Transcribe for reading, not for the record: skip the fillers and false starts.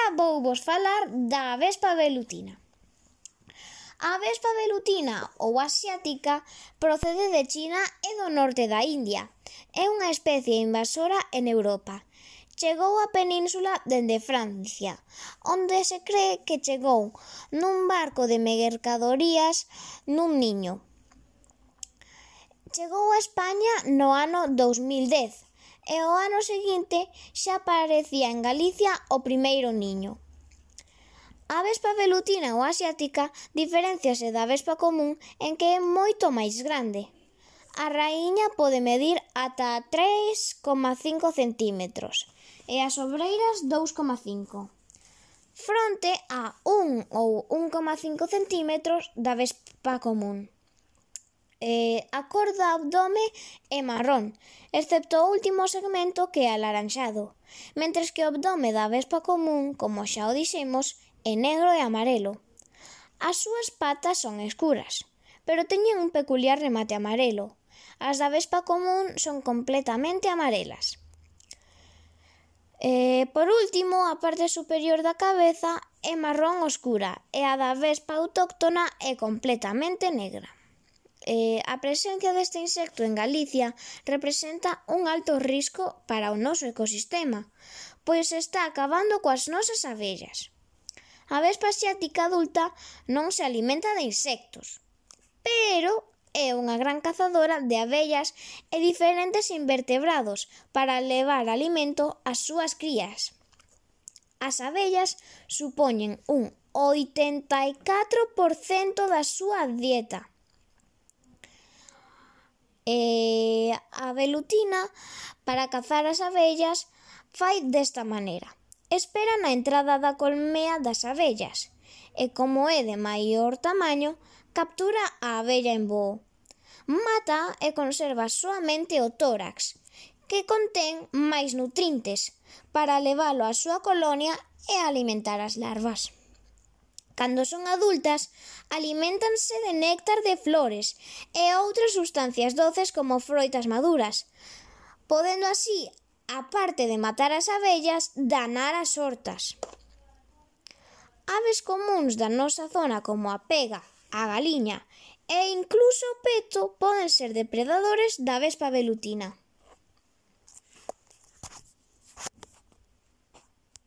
agora vouvos falar da avespa velutina. A avespa velutina ou asiática procede de China e do norte da India. É unha especie invasora en Europa. Chegou á península dende Francia, onde se cree que chegou nun barco de mercadorías nun niño. Chegou a España no ano 2010 e o ano seguinte xa aparecía en Galicia o primeiro niño. A avespa velutina ou asiática diferénciase da avespa común en que é moito máis grande. A raíña pode medir ata 3,5 centímetros e as obreiras 2,5, fronte a 1 ou 1,5 centímetros da avespa común. A cor do abdome é marrón, excepto o último segmento que é alaranxado, mentres que o abdome da avespa común, como xa o dixemos, é negro e amarelo. As súas patas son escuras, pero teñen un peculiar remate amarelo. As da avespa común son completamente amarelas. Por último, a parte superior da cabeza é marrón oscura e a da avespa autóctona é completamente negra. A presencia deste insecto en Galicia representa un alto risco para o noso ecosistema, pois está acabando coas nosas abellas. A avespa asiática adulta non se alimenta de insectos, pero é unha gran cazadora de abellas e diferentes invertebrados para levar alimento ás súas crías. As abellas supoñen un 84% da súa dieta. A velutina, para cazar as abellas, fai desta maneira. Espera na entrada da colmea das abellas e, como é de maior tamaño, captura a abella en voo. Mata e conserva soamente o tórax, que contén máis nutrientes, para levalo á súa colonia e alimentar as larvas. Cando son adultas, aliméntanse de néctar de flores e outras sustancias doces como froitas maduras, podendo así, aparte de matar as abellas, danar as hortas. Aves comúns da nosa zona como a pega, a galiña e incluso o peto poden ser depredadores da avespa velutina.